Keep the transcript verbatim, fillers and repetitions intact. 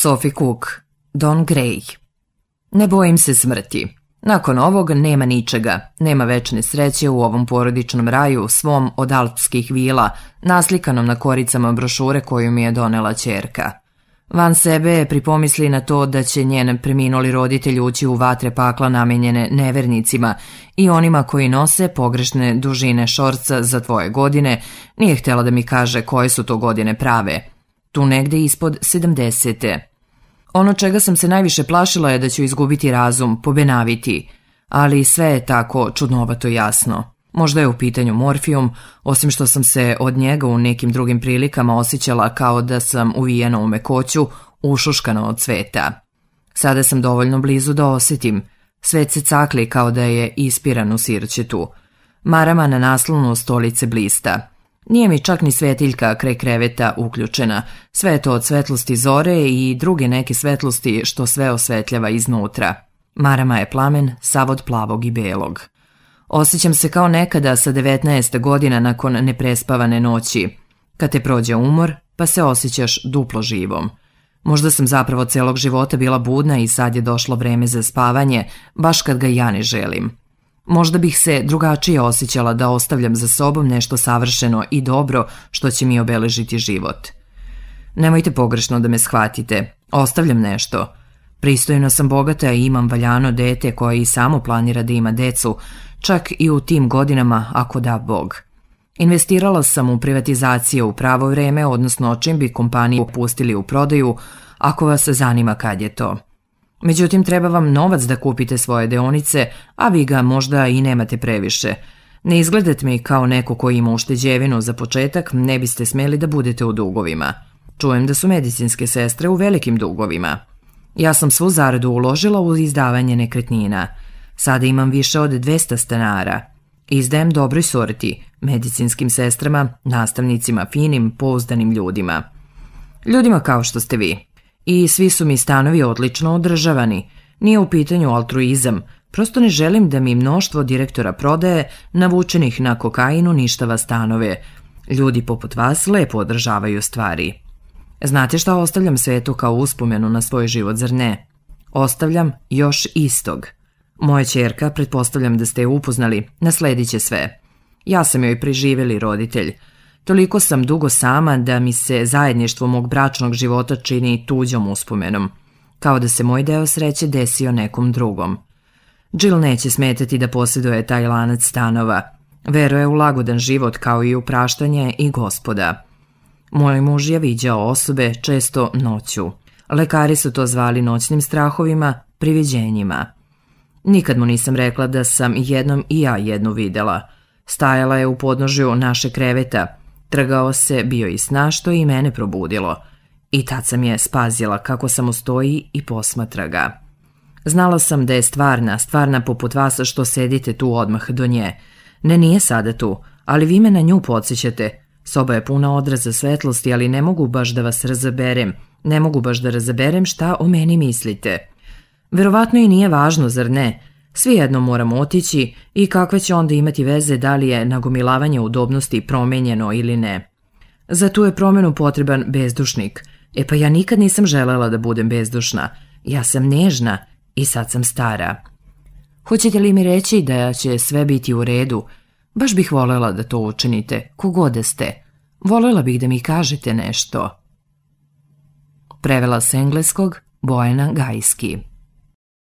Sophie Cook, Don Gray. Ne bojim se smrti. Nakon ovog nema ničega, nema večne sreće u ovom porodičnom raju, svom od alpskih vila, naslikanom na koricama brošure koju mi je donela ćerka. Van sebe pripomisli na to da će njen preminuli roditelj ući u vatre pakla namenjene nevernicima i onima koji nose pogrešne dužine šorca za tvoje godine, nije htjela da mi kaže koje su to godine prave. Tu negde ispod sedamdesete. Ono čega sam se najviše plašila je da ću izgubiti razum, pobenaviti, ali sve je tako čudnovato jasno. Možda je u pitanju morfijum, osim što sam se od njega u nekim drugim prilikama osjećala kao da sam uvijena u mekoću, ušuškana od cveta. Sada sam dovoljno blizu da osjetim. Svet se cakli kao da je ispiran u sirćetu. Marama na naslonu stolice blista. Nije mi čak ni svetiljka kraj kreveta uključena, sve je to od svetlosti zore i druge neke svetlosti što sve osvetljava iznutra. Marama je plamen, sav od plavog i belog. Osjećam se kao nekada sa devetnaest godina nakon neprespavane noći, kad te prođe umor pa se osjećaš duplo živom. Možda sam zapravo celog života bila budna i sad je došlo vreme za spavanje, baš kad ga ja ne želim. Možda bih se drugačije osjećala da ostavljam za sobom nešto savršeno i dobro što će mi obeležiti život. Nemojte pogrešno da me shvatite, ostavljam nešto. Pristojno sam bogata i imam valjano dete koje i samo planira da ima decu, čak i u tim godinama ako da Bog. Investirala sam u privatizacije u pravo vreme, odnosno čim bi kompaniju pustili u prodaju, ako vas zanima kad je to. Međutim, treba vam novac da kupite svoje deonice, a vi ga možda i nemate previše. Ne izgledate mi kao neko koji ima ušteđevinu za početak, ne biste smeli da budete u dugovima. Čujem da su medicinske sestre u velikim dugovima. Ja sam svu zaradu uložila u izdavanje nekretnina. Sada imam više od dvesta stanara. Izdajem dobroj sorti, medicinskim sestrama, nastavnicima, finim, pouzdanim ljudima. Ljudima kao što ste vi. I svi su mi stanovi odlično održavani. Nije u pitanju altruizam, prosto ne želim da mi mnoštvo direktora prodaje, navučenih na kokainu, uništava stanove. Ljudi poput vas lepo održavaju stvari. Znate šta ostavljam svetu kao uspomenu na svoj život, zar ne? Ostavljam još istog. Moja ćerka, pretpostavljam da ste je upoznali, nasledit će sve. Ja sam joj preživeli roditelj. Toliko sam dugo sama da mi se zajedništvo mog bračnog života čini tuđom uspomenom, kao da se moj deo sreće desio nekom drugom. Jill neće smetati da posjeduje taj lanac stanova. Veruje u lagodan život kao i u praštanje i Gospoda. Moj muž je viđao osobe često noću. Lekari su to zvali noćnim strahovima, priviđenjima. Nikad mu nisam rekla da sam jednom i ja jednu videla. Stajala je u podnožju naše kreveta. Trgao se, bio i sna što je i mene probudilo. I tad sam je spazila kako samo stoji i posmatra ga. Znala sam da je stvarna, stvarna poput vas što sedite tu odmah do nje. Ne, nije sada tu, ali vi me na nju podsjećate. Soba je puna odraza svetlosti, ali ne mogu baš da vas razaberem. Ne mogu baš da razaberem šta o meni mislite. Verovatno i nije važno, zar ne? Svi jedno moramo otići i kakve će onda imati veze da li je nagomilavanje udobnosti promenjeno ili ne. Za tu je promenu potreban bezdušnik. E pa ja nikad nisam želela da budem bezdušna. Ja sam nežna i sad sam stara. Hoćete li mi reći da će sve biti u redu? Baš bih voljela da to učinite, kogode ste. Voljela bih da mi kažete nešto. Prevela s engleskog Bojana Gajski.